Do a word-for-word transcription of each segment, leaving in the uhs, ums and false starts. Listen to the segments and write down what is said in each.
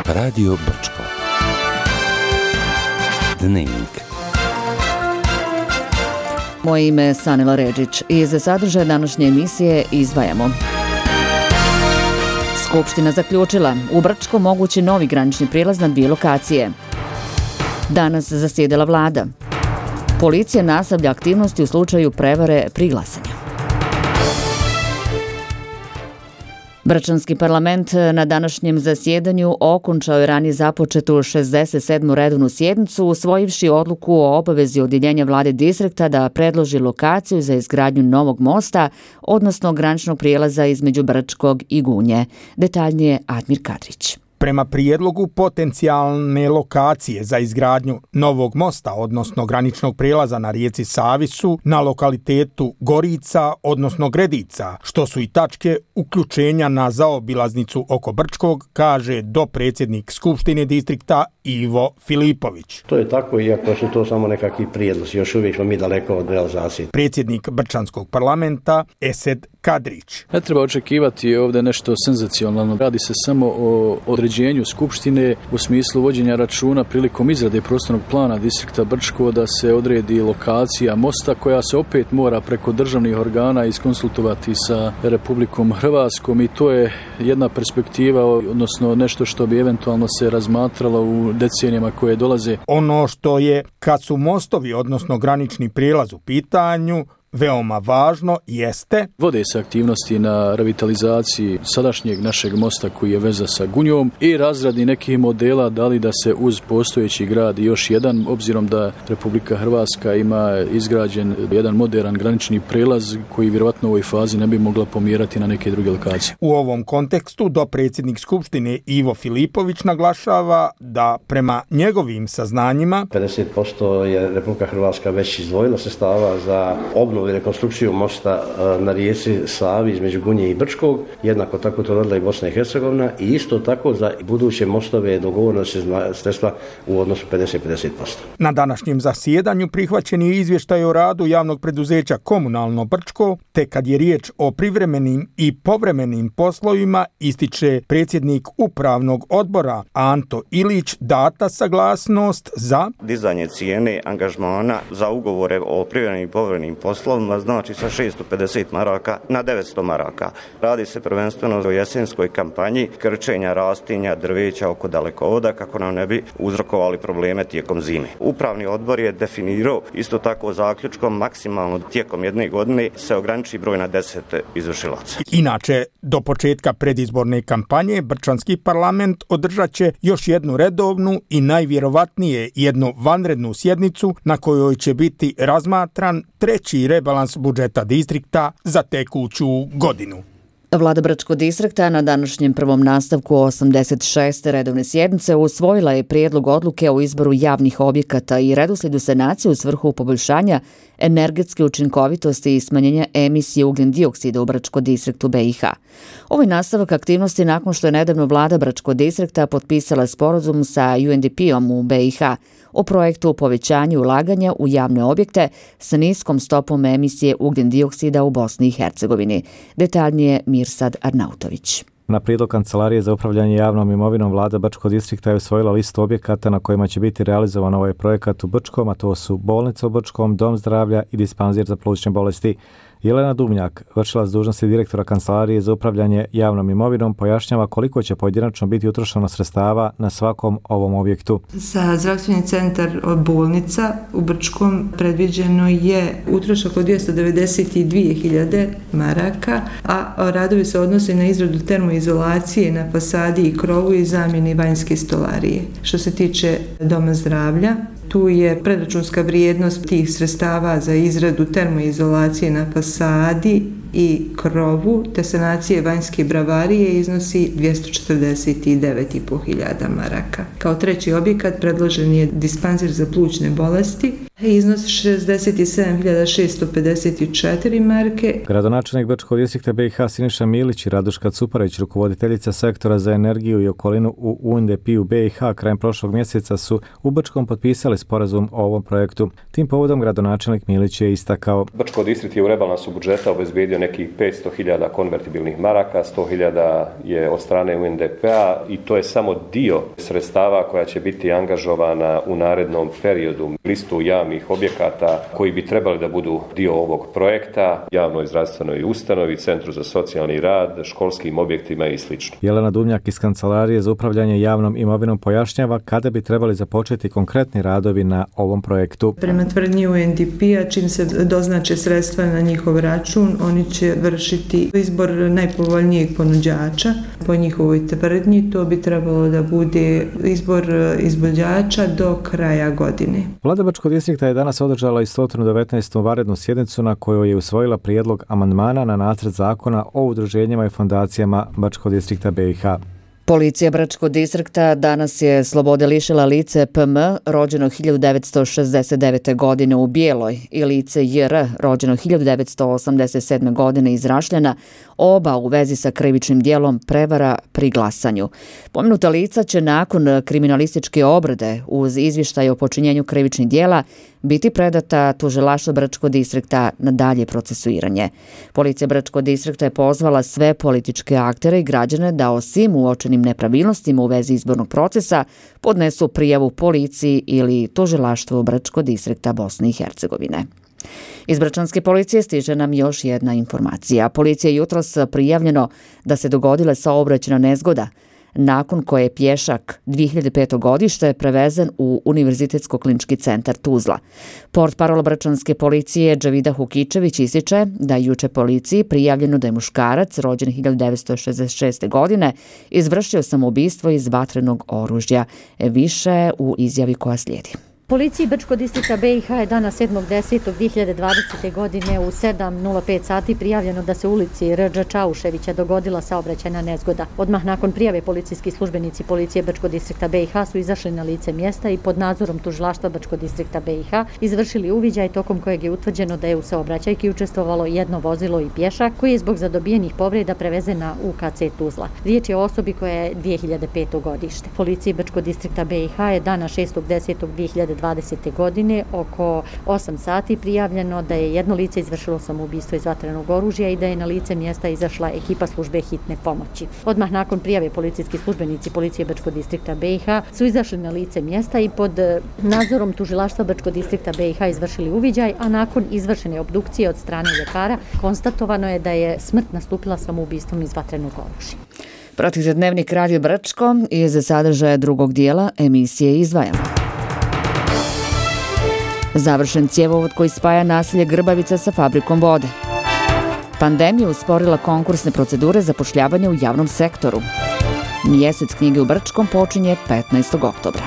Radio Brčko. Dnevnik. Moje ime je Sanila Redžić i za sadržaj današnje emisije izdvajamo. Skupština zaključila, u Brčko mogući novi granični prijelaz na dvije lokacije. Danas zasjedala vlada. Policija nastavlja aktivnosti u slučaju prevare pri glasanju. Brčanski parlament na današnjem zasjedanju okončao je ranije započetu šezdeset sedmu redovnu sjednicu, usvojivši odluku o obavezi odjeljenja vlade distrikta da predloži lokaciju za izgradnju novog mosta, odnosno graničnog prijelaza između Brčkog i Gunje. Detaljnije Admir Kadrić. Prema prijedlogu potencijalne lokacije za izgradnju novog mosta, odnosno graničnog prijelaza na rijeci Savi su na lokalitetu Gorica, odnosno Gredica, što su i tačke uključenja na zaobilaznicu oko Brčkog, kaže dopredsjednik Skupštine distrikta Ivo Filipović. To je tako, iako su to samo nekakvi prijedlozi, još uvijek smo mi daleko od realizacije. Predsjednik Brčanskog parlamenta Esed Kadrić. Ne treba očekivati ovdje nešto senzacionalno. Radi se samo o određenju Skupštine u smislu vođenja računa prilikom izrade prostornog plana distrikta Brčko da se odredi lokacija mosta koja se opet mora preko državnih organa iskonsultovati sa Republikom Hrvatskom i to je jedna perspektiva, odnosno nešto što bi eventualno se razmatralo u decenijama koje dolaze. Ono što je, kad su mostovi, odnosno granični prijelaz u pitanju, veoma važno jeste... Vode se aktivnosti na revitalizaciji sadašnjeg našeg mosta koji je veza sa Gunjom i razradi nekih modela da li da se uz postojeći grad još jedan, obzirom da Republika Hrvatska ima izgrađen jedan modern granični prijelaz koji vjerojatno u ovoj fazi ne bi mogla pomjerati na neke druge lokacije. U ovom kontekstu dopredsjednik Skupštine Ivo Filipović naglašava da prema njegovim saznanjima pedeset posto je Republika Hrvatska već izdvojila sredstava za obnovu i rekonstrukciju mosta na rijeci Savi između Gunje i Brčkog, jednako tako to radila i Bosna i Hercegovina i isto tako za buduće mostove dogovoreno se sredstva u odnosu pedeset pedeset posto. Na današnjem zasjedanju prihvaćen je izvještaj o radu javnog preduzeća Komunalno Brčko, te kad je riječ o privremenim i povremenim poslovima, ističe predsjednik upravnog odbora Anto Ilić, data saglasnost za dizanje cijene angažmana za ugovore o privremenim i povremenim poslovima, znači sa šesto pedeset maraka na devetsto maraka. Radi se prvenstveno o jesenskoj kampanji krčenja rastinja drveća oko dalekovoda kako nam ne bi uzrokovali probleme tijekom zime. Upravni odbor je definirao isto tako zaključkom maksimalno tijekom jedne godine se ograniči broj na deset izvršilaca. Inače, do početka predizborne kampanje Brčanski parlament održat će još jednu redovnu i najvjerovatnije jednu vanrednu sjednicu na kojoj će biti razmatran treći rebalans budžeta distrikta za tekuću godinu. Vlada Brčkog distrikta na današnjem prvom nastavku osamdeset šeste redovne sjednice usvojila je prijedlog odluke o izboru javnih objekata i redoslijedu sanacije u svrhu poboljšanja energetske učinkovitosti i smanjenja emisije ugljen dioksida u Brčkog distriktu B i H. Ovo je nastavak aktivnosti nakon što je nedavno vlada Brčkog distrikta potpisala sporazum sa U N D P-om u B i H o projektu povećanja ulaganja u javne objekte sa niskom stopom emisije ugljen dioksida u Bosni i Hercegovini. Detaljnije Mirsad Arnautović. Na prijedlog Kancelarije za upravljanje javnom imovinom vlada Brčkog distrikta je usvojila listu objekata na kojima će biti realizovan ovaj projekat u Brčkom, a to su bolnica u Brčkom, dom zdravlja i dispanzir za plućne bolesti. Jelena Duvnjak, vršilac dužnosti direktora Kancelarije za upravljanje javnom imovinom, pojašnjava koliko će pojedinačno biti utrošeno sredstava na svakom ovom objektu. Za zdravstveni centar bolnica u Brčkom predviđeno je utrošak od dvjesto devedeset dvije hiljade maraka, a radovi se odnose na izradu termoizolacije na fasadi i krovu i zamjeni vanjske stolarije. Što se tiče doma zdravlja, tu je predračunska vrijednost tih sredstava za izradu termoizolacije na fasadi i krovu te sanacije vanjske bravarije iznosi dvjesto četrdeset devet i pol hiljada maraka. Kao treći objekat predložen je dispanzir za plućne bolesti. iznos šezdeset sedam hiljada šessto pedeset četiri marke. Gradonačelnik Brčkog distrikta B i H Siniša Milić i Raduška Cuparić, rukovoditeljica sektora za energiju i okolinu u U N D P-u B i H, krajem prošlog mjeseca su u Brčkom potpisali sporazum o ovom projektu. Tim povodom gradonačelnik Milić je istakao: Brčko distrikt je u rebalansu budžeta obezbedio nekih petsto hiljada konvertibilnih maraka, sto hiljada je od strane U N D P-a i to je samo dio sredstava koja će biti angažovana u narednom periodu. Listu javnih objekata koji bi trebali da budu dio ovog projekta, javnoj zdravstvenoj ustanovi, centru za socijalni rad, školskim objektima i sl. Jelena Duvnjak iz Kancelarije za upravljanje javnom imovinom pojašnjava kada bi trebali započeti konkretni radovi na ovom projektu. Prema tvrdnji U N D P-a, čim se doznače sredstva na njihov račun, oni će vršiti izbor najpovoljnijeg ponuđača. Po njihovoj tvrdnji to bi trebalo da bude izbor izvođača do kraja godine. Vlada Brčkog distrikta je danas održala i sto devetnaestu vanrednu sjednicu na kojoj je usvojila prijedlog amandmana na nacrt zakona o udruženjima i fondacijama Brčkog distrikta B i H. Policija Brčkog distrikta danas je slobode lišila lice P M, rođeno hiljadu devetsto šezdeset devete. godine u Bijeloj, i lice J R, rođeno hiljadu devetsto osamdeset sedme. godine iz Rašljana, oba u vezi sa krivičnim dijelom prevara pri glasanju. Pomenuta lica će nakon kriminalističke obrade uz izvještaj o počinjenju krivičnih dijela biti predata tužilaštvu Brčkog distrikta na dalje procesuiranje. Policija Brčkog distrikta je pozvala sve političke aktere i građane da o svim uočenim nepravilnostima u vezi izbornog procesa podnesu prijavu policiji ili tužilaštvu Brčkog distrikta Bosne i Hercegovine. Iz Brčanske policije stiže nam još jedna informacija. Policija je jutros prijavljeno da se dogodila saobraćajna nezgoda, nakon koje je pješak dvije hiljade pete. godište prevezen u Univerzitetsko-klinički centar Tuzla. Portparol Brčanske policije Džavida Hukičević ističe da je juče policiji prijavljeno da je muškarac rođen hiljadu devetsto šezdeset šeste. godine izvršio samoubistvo iz vatrenog oružja. Više u izjavi koja slijedi. Policiji Brčkog distrikta B i H je dana sedmog desetog dvije hiljade dvadesete. godine u sedam nula pet sati prijavljeno da se u ulici R Đ Čauševića dogodila saobraćajna nezgoda. Odmah nakon prijave policijski službenici policije Brčkog distrikta B i H su izašli na lice mjesta i pod nadzorom tužilaštva Brčkog distrikta B i H izvršili uviđaj tokom kojeg je utvrđeno da je u saobraćajki učestvovalo jedno vozilo i pješak koji je zbog zadobijenih povreda prevezen na U K C Tuzla. Riječ je o osobi koja je dvije hiljade pete. godište. Policiji Brčkog distrikta B i H je dana šestog desetog dvije hiljade dvadesete. godine oko osam sati prijavljeno da je jedno lice izvršilo samoubistvo iz vatrenog oružja i da je na lice mjesta izašla ekipa službe hitne pomoći. Odmah nakon prijave policijski službenici policije Brčkog distrikta B i H su izašli na lice mjesta i pod nadzorom tužilaštva Brčkog distrikta B i H izvršili uviđaj, a nakon izvršene obdukcije od strane ljekara konstatovano je da je smrt nastupila samoubistvom iz vatrenog oružja. Pratite Dnevnik Radio Brčko i za sadržaja drugog dijela emisije izdvajamo. Završen cjevovod koji spaja naselje Grbavica sa fabrikom vode. Pandemija usporila konkursne procedure zapošljavanja u javnom sektoru. Mjesec knjige u Brčkom počinje petnaestog oktobra.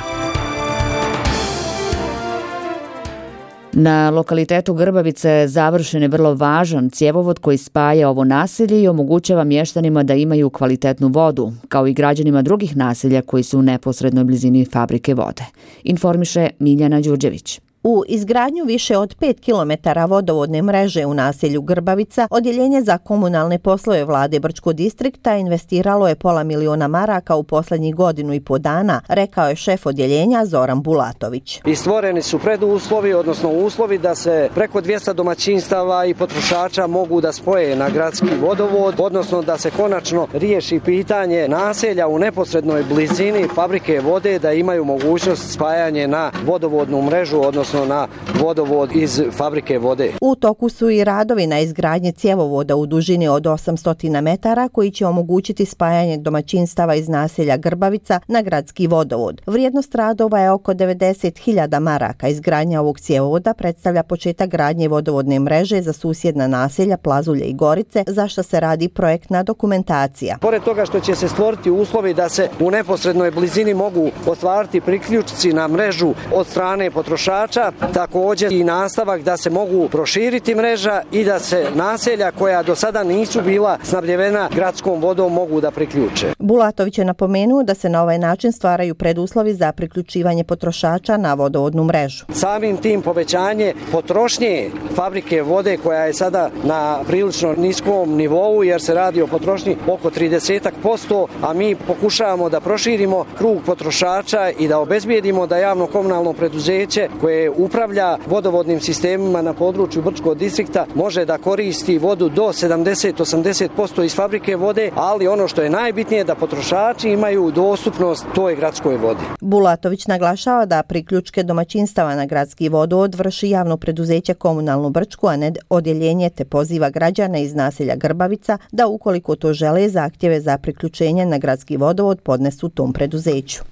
Na lokalitetu Grbavice završen je vrlo važan cjevovod koji spaja ovo naselje i omogućava mještanima da imaju kvalitetnu vodu, kao i građanima drugih naselja koji su u neposrednoj blizini fabrike vode. Informiše Miljana Đurđević. U izgradnju više od pet kilometara vodovodne mreže u naselju Grbavica, Odjeljenje za komunalne poslove vlade Brčkog distrikta investiralo je pola miliona maraka u posljednjih godinu i po dana, rekao je šef odjeljenja Zoran Bulatović. I stvoreni su preduslovi, odnosno uslovi da se preko dvjesto domaćinstava i potrošača mogu da spoje na gradski vodovod, odnosno da se konačno riješi pitanje naselja u neposrednoj blizini fabrike vode, da imaju mogućnost spajanje na vodovodnu mrežu, odnosno na vodovod iz fabrike vode. U toku su i radovi na izgradnji cjevovoda u dužini od osamsto metara koji će omogućiti spajanje domaćinstava iz naselja Grbavica na gradski vodovod. Vrijednost radova je oko devedeset hiljada maraka. Izgradnja ovog cjevovoda predstavlja početak gradnje vodovodne mreže za susjedna naselja Plazulje i Gorice, za što se radi projektna dokumentacija. Pored toga što će se stvoriti uslovi da se u neposrednoj blizini mogu ostvariti priključci na mrežu od strane potrošača, potrošača, također i nastavak da se mogu proširiti mreža i da se naselja koja do sada nisu bila snabdjevena gradskom vodom mogu da priključe. Bulatović je napomenuo da se na ovaj način stvaraju preduslovi za priključivanje potrošača na vodovodnu mrežu. Samim tim povećanje potrošnje fabrike vode koja je sada na prilično niskom nivou jer se radi o potrošnji oko trideset posto, a mi pokušavamo da proširimo krug potrošača i da obezbijedimo da javno komunalno preduzeće koje upravlja vodovodnim sistemima na području Brčkog distrikta može da koristi vodu do sedamdeset do osamdeset posto iz fabrike vode, ali ono što je najbitnije da potrošači imaju dostupnost toj gradskoj vodi. Bulatović naglašava da priključke domaćinstava na gradski vodovod vrši javno preduzeće Komunalnu Brčku, a ne odjeljenje, te poziva građane iz naselja Grbavica da ukoliko to žele zahtjeve za priključenje na gradski vodovod podnesu tom preduzeću.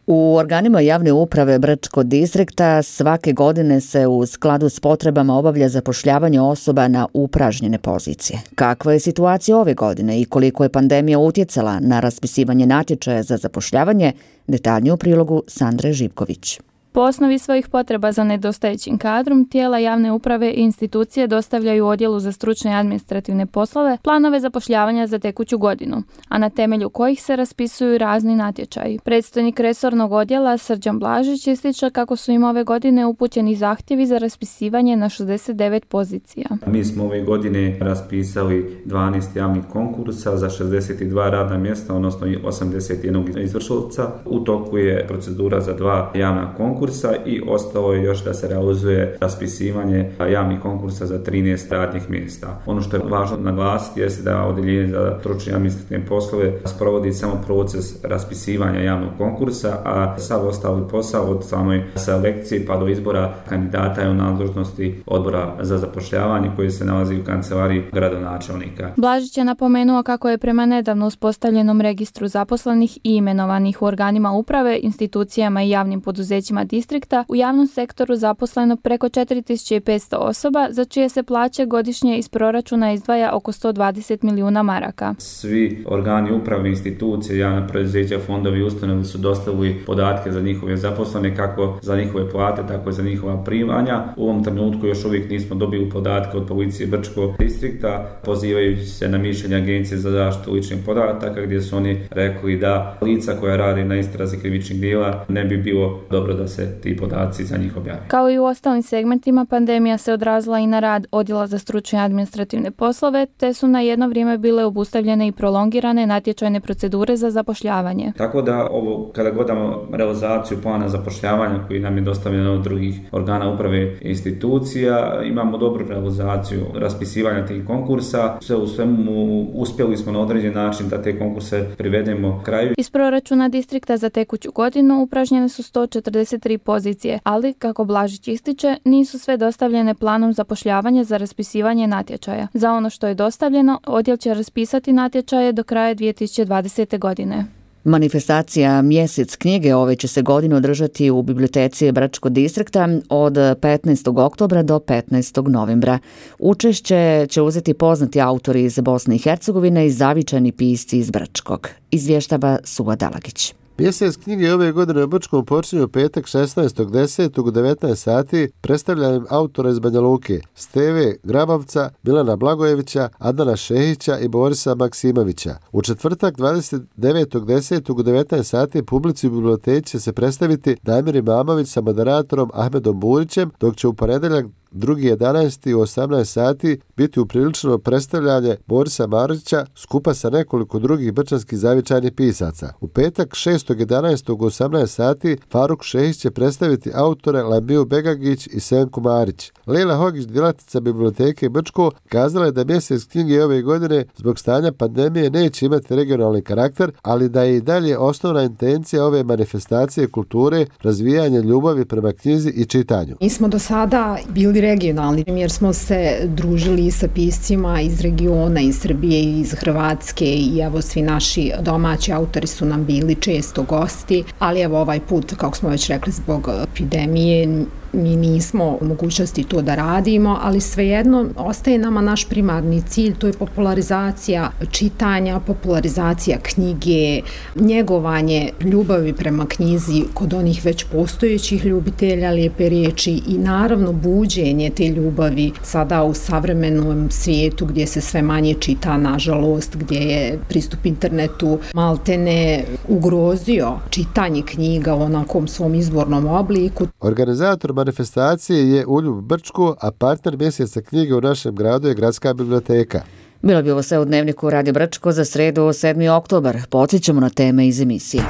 U organima javne uprave Brčkog distrikta svake godine se u skladu s potrebama obavlja zapošljavanje osoba na upražnjene pozicije. Kakva je situacija ove godine i koliko je pandemija utjecala na raspisivanje natječaja za zapošljavanje, detaljnije u prilogu Sandre Živković. Po osnovi svojih potreba za nedostajećim kadrom, tijela javne uprave i institucije dostavljaju odjelu za stručne i administrativne poslove planove zapošljavanja za tekuću godinu, a na temelju kojih se raspisuju razni natječaji. Predstojnik resornog odjela Srđan Blažić ističe kako su im ove godine upućeni zahtjevi za raspisivanje na šezdeset devet pozicija. Mi smo ove godine raspisali dvanaest javnih konkursa za šezdeset dva radna mjesta, odnosno osamdeset jedan izvršilca. U toku je procedura za dva javna konkursa i ostalo je još da se realizuje raspisivanje javnih konkursa za trinaest radnih mjesta. Ono što je važno naglasiti je da odjeljenje za stručne i administrativne poslove sprovodi samo proces raspisivanja javnog konkursa, a sav ostali posao od samoj selekcije pa do izbora kandidata je u nadležnosti odbora za zapošljavanje koji se nalazi u kancelariji gradonačelnika. Blažić je napomenuo kako je prema nedavno uspostavljenom registru zaposlenih i imenovanih u organima uprave, institucijama i javnim poduzećima distrikta u javnom sektoru zaposleno preko četiri tisuće petsto osoba, za čije se plaće godišnje iz proračuna izdvaja oko sto dvadeset milijuna maraka. Svi organi uprave, institucije, javna preduzeća, fondovi i ustanove su dostavili podatke za njihove zaposlene, kako za njihove plate, tako i za njihova primanja. U ovom trenutku još uvijek nismo dobili podatke od policije Brčkog distrikta, pozivajući se na mišljenje Agencije za zaštitu ličnih podataka, gdje su oni rekli da lica koja radi na istrazi krivičnih djela ne bi bilo dobro da se ti podaci za njih objave. Kao i u ostalim segmentima, pandemija se odrazila i na rad odjela za stručne i administrativne poslove, te su na jedno vrijeme bile obustavljene i prolongirane natječajne procedure za zapošljavanje. Tako da ovo, kada gledamo realizaciju plana zapošljavanja koji nam je dostavljen od drugih organa uprave i institucija, imamo dobru realizaciju raspisivanja tih konkursa. Sve u svemu uspjeli smo na određen način da te konkurse privedemo kraju. Iz proračuna distrikta za tekuću godinu upražnjene su sto četrdeset tri pozicije, ali, kako Blažić ističe, nisu sve dostavljene planom zapošljavanja za raspisivanje natječaja. Za ono što je dostavljeno, odjel će raspisati natječaje do kraja dvije tisuće dvadesete. godine. Manifestacija Mjesec knjige ove će se godine održati u biblioteci Brčkog distrikta od petnaestog oktobra do petnaestog novembra. Učešće će uzeti poznati autori iz Bosne i Hercegovine i zavičani pisci iz Brčkog. Izvještava Suva Dalagić. Mjesec knjige ove godine u Brčkom počinje u petak šesnaestog desetog u devetnaest sati predstavljanjem autora iz Banja Luke, Steve Grabavca, Milana Blagojevića, Adana Šehića i Borisa Maksimovića. U četvrtak dvadeset devetog desetog u devetnaest sati publici u biblioteci će se predstaviti Damir Imamović sa moderatorom Ahmedom Burićem, dok će u ponedjeljak drugi jedanaesti u osamnaest sati biti upriličeno predstavljanje Borisa Maruća skupa sa nekoliko drugih brčanskih zavičajnih pisaca. U petak šestog jedanaestog u osamnaest sati Faruk Šehić će predstaviti autore Lambiju Begagić i Senku Marić. Lejla Hogić, djelatnica biblioteke Brčko, kazala je da mjesec knjige ove godine zbog stanja pandemije neće imati regionalni karakter, ali da je i dalje osnovna intencija ove manifestacije kulture razvijanje ljubavi prema knjizi i čitanju. Mi smo do sada bili regionalni, jer smo se družili sa piscima iz regiona, iz Srbije, iz Hrvatske i evo svi naši domaći autori su nam bili često gosti, ali evo ovaj put, kako smo već rekli, zbog epidemije mi nismo u mogućnosti to da radimo, ali svejedno ostaje nama naš primarni cilj, to je popularizacija čitanja, popularizacija knjige, njegovanje ljubavi prema knjizi kod onih već postojećih ljubitelja lijepe riječi i naravno buđenje te ljubavi sada u savremenom svijetu gdje se sve manje čita, nažalost, gdje je pristup internetu maltene ugrozio čitanje knjiga u onakom svom izvornom obliku. Organizator manifestacije je Uljub Brčko, a partner mjeseca knjige u našem gradu je Gradska biblioteka. Bilo bi ovo sve u Dnevniku Radio Brčko za sredu sedmi oktobar. Podsjećamo na teme iz emisije.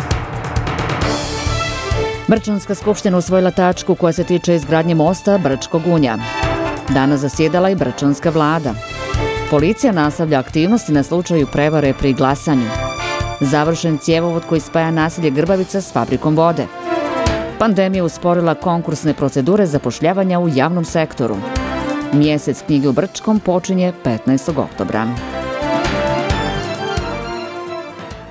Brčanska skupština usvojila tačku koja se tiče izgradnje mosta Brčko-Gunja. Danas zasjedala i Brčanska vlada. Policija nastavlja aktivnosti na slučaju prevare pri glasanju. Završen cjevovod koji spaja naselje Grbavica s fabrikom vode. Pandemija usporila konkursne procedure zapošljavanja u javnom sektoru. Mjesec knjige u Brčkom počinje petnaestog oktobra.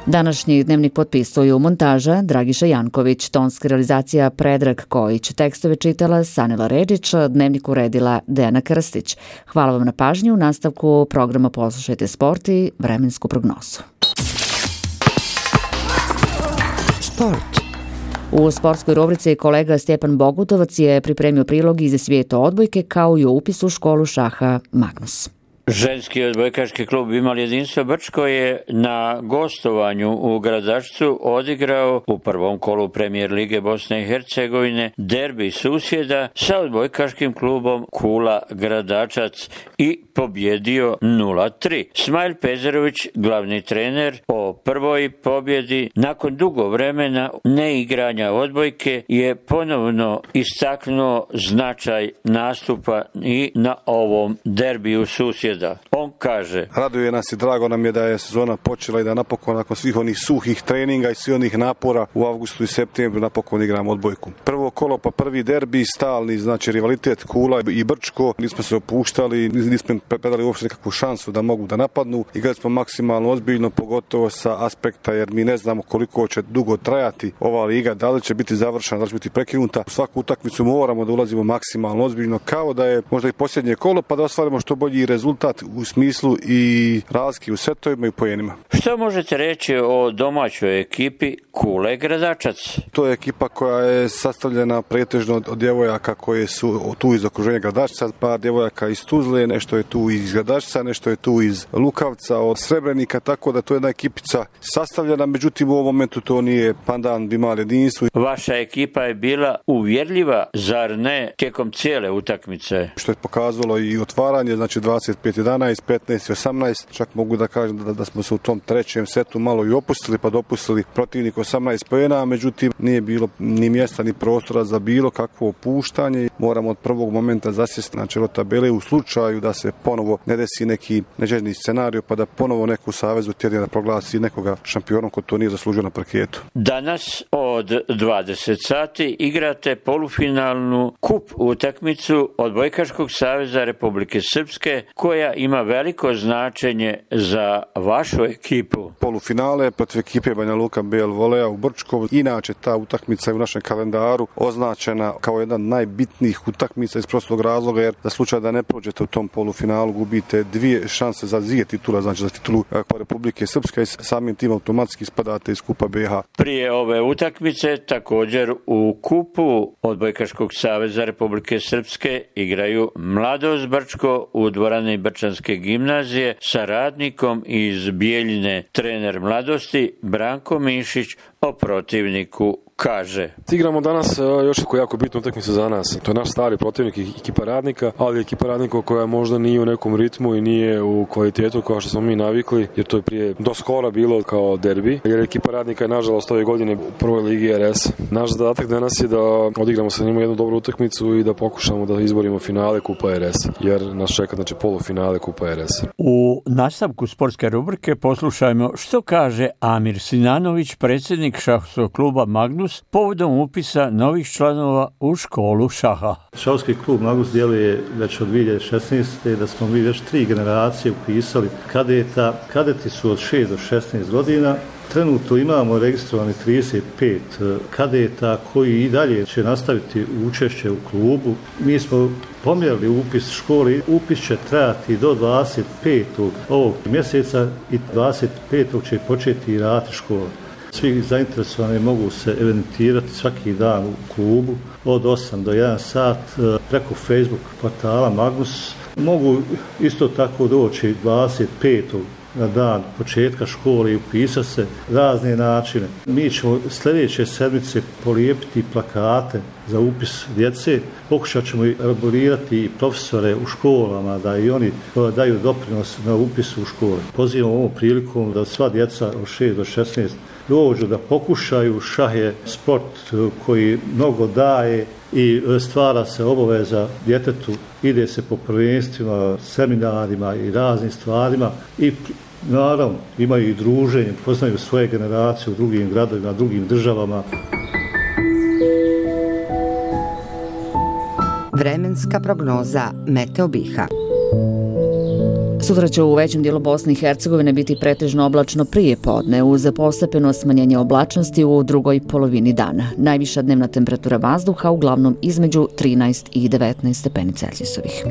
Današnji dnevnik potpisuju montaža Dragiša Janković, tonska realizacija Predrag Kojić, tekstove čitala Sanela Ređić, dnevnik uredila Dejana Krstić. Hvala vam na pažnju, u nastavku programa poslušajte sport i vremensku prognozu. Sport. U sportskoj rubrici kolega Stjepan Bogutovac je pripremio prilog iz svijeta odbojke kao i o upisu u školu šaha Magnus. Ženski odbojkaški klub Imali jedinstvo Brčko je na gostovanju u Gradačcu odigrao u prvom kolu Premijer lige Bosne i Hercegovine derbi susjeda sa odbojkaškim klubom Kula Gradačac i pobjedio nula tri. Smajl Pezerović, glavni trener, o prvoj pobjedi nakon dugo vremena neigranja odbojke je ponovno istaknuo značaj nastupa i na ovom derbiju susjeda. On kaže: raduje nas i drago nam je da je sezona počela i da napokon nakon svih onih suhih treninga i svih onih napora u avgustu i septembru napokon igramo odbojku. Prvo kolo pa prvi derbi, stalni znači rivalitet Kula i Brčko, nismo se opuštali, nismo predali uopšte nekakvu šansu da mogu da napadnu. Igrali smo maksimalno ozbiljno, pogotovo sa aspekta jer mi ne znamo koliko će dugo trajati ova liga, da li će biti završena, da li će biti prekinuta. U svaku utakmicu moramo da ulazimo maksimalno ozbiljno, kao da je možda i posljednje kolo, pa da ostvarimo što bolji rezultat u smislu i razlike u setovima i pojenima. Što možete reći o domaćoj ekipi Kule Gradačac? To je ekipa koja je sastavljena pretežno od djevojaka koje su tu iz okruženja Gradačca, par djevojaka iz Tuzle, nešto je tu iz Gradačca, nešto je tu iz Lukavca, od Srebrenika, tako da to je jedna ekipica sastavljena, međutim u ovom momentu to nije pandan Imali jedinstvo. Vaša ekipa je bila uvjerljiva, zar ne, tijekom cijele utakmice? Što je pokazalo i otvaranje, znači dvadeset pet jedanaest, petnaest osamnaest, čak mogu da kažem da, da smo se u tom trećem setu malo i opustili, pa dopustili protivnik osamnaest poena, međutim nije bilo ni mjesta ni prostora za bilo kakvo opuštanje. Moramo od prvog momenta zasjesti na čelo tabele u slučaju da se ponovo ne desi neki neželjni scenarij, pa da ponovo neku savezu tjedne da proglasi nekoga šampionom ko to nije zaslužio na parketu. Danas od dvadeset sati igrate polufinalnu kup utakmicu Odbojkaškog saveza Republike Srpske, koja ima veliko značenje za vašu ekipu. Polufinale protiv ekipe Banja Luka B L Volea u Brčkovu. Inače ta utakmica je u našem kalendaru označena kao jedna od najbitnijih utakmica iz prostog razloga, jer za slučaj da ne prođete u tom polufinalu gubite dvije šanse za dvije titula, znači za titulu Republike Srpske i samim tim automatski spadate iz kupa B H. Prije ove utakmice također u kupu Odbojkaškog saveza Republike Srpske igraju Mladost Brčko u dvorani Brčanske gimnazije sa Radnikom iz Bijeljine. Trener Mladosti Branko Mišić o protivniku kaže: igramo danas još jako, jako bitnu utakmicu za nas. To je naš stari protivnik, ekipa Radnika, ali ekipa Radnika koja možda nije u nekom ritmu i nije u kvalitetu kao što smo mi navikli, jer to je prije do skora bilo kao derbi, jer ekipa Radnika je nažalost ove godine u prvoj ligi R S. Naš zadatak danas je da odigramo sa njima jednu dobru utakmicu i da pokušamo da izborimo finale Kupa R S, jer nas čeka znači polufinale Kupa R S. U nastavku sportske rubrike poslušajmo što kaže Amir Sinanović, predsjednik šahovskog kluba Magnus, Magnus povodom upisa novih članova u školu šaha. Šahovski klub Magnus djeluje već od dvije hiljade šesnaeste. da smo mi već tri generacije upisali kadeta. Kadeti su od šest do šesnaest godina. Trenutno imamo registrovani trideset pet kadeta koji i dalje će nastaviti učešće u klubu. Mi smo pomjerili upis škole. Upis će trajati do dvadeset petog ovog mjeseca i dvadeset petog će početi raditi škola. Svi zainteresovani mogu se evidentirati svaki dan u klubu od osam do jedan sat preko Facebook portala Magnus. Mogu isto tako doći dvadeset petog na dan početka škole i upisati se razne načine. Mi ćemo sljedeće sedmice polijepiti plakate za upis djece. Pokušat ćemo elaborirati i profesore u školama da i oni daju doprinos na upisu u škole. Pozivam ovom prilikom da sva djeca od šest do šesnaest dođu da pokušaju. Šah je sport koji mnogo daje i stvara se obaveza djetetu. Ide se po prvenstvima, seminarima i raznim stvarima i naravno imaju i druženje, poznaju svoje generacije u drugim gradovima, drugim državama. Vremenska prognoza Meteo Biha. Sutra će u većem dijelu Bosne i Hercegovine biti pretežno oblačno prije podne uz postepeno smanjenje oblačnosti u drugoj polovini dana. Najviša dnevna temperatura vazduha uglavnom između trinaest i devetnaest stepeni Celzijusovih.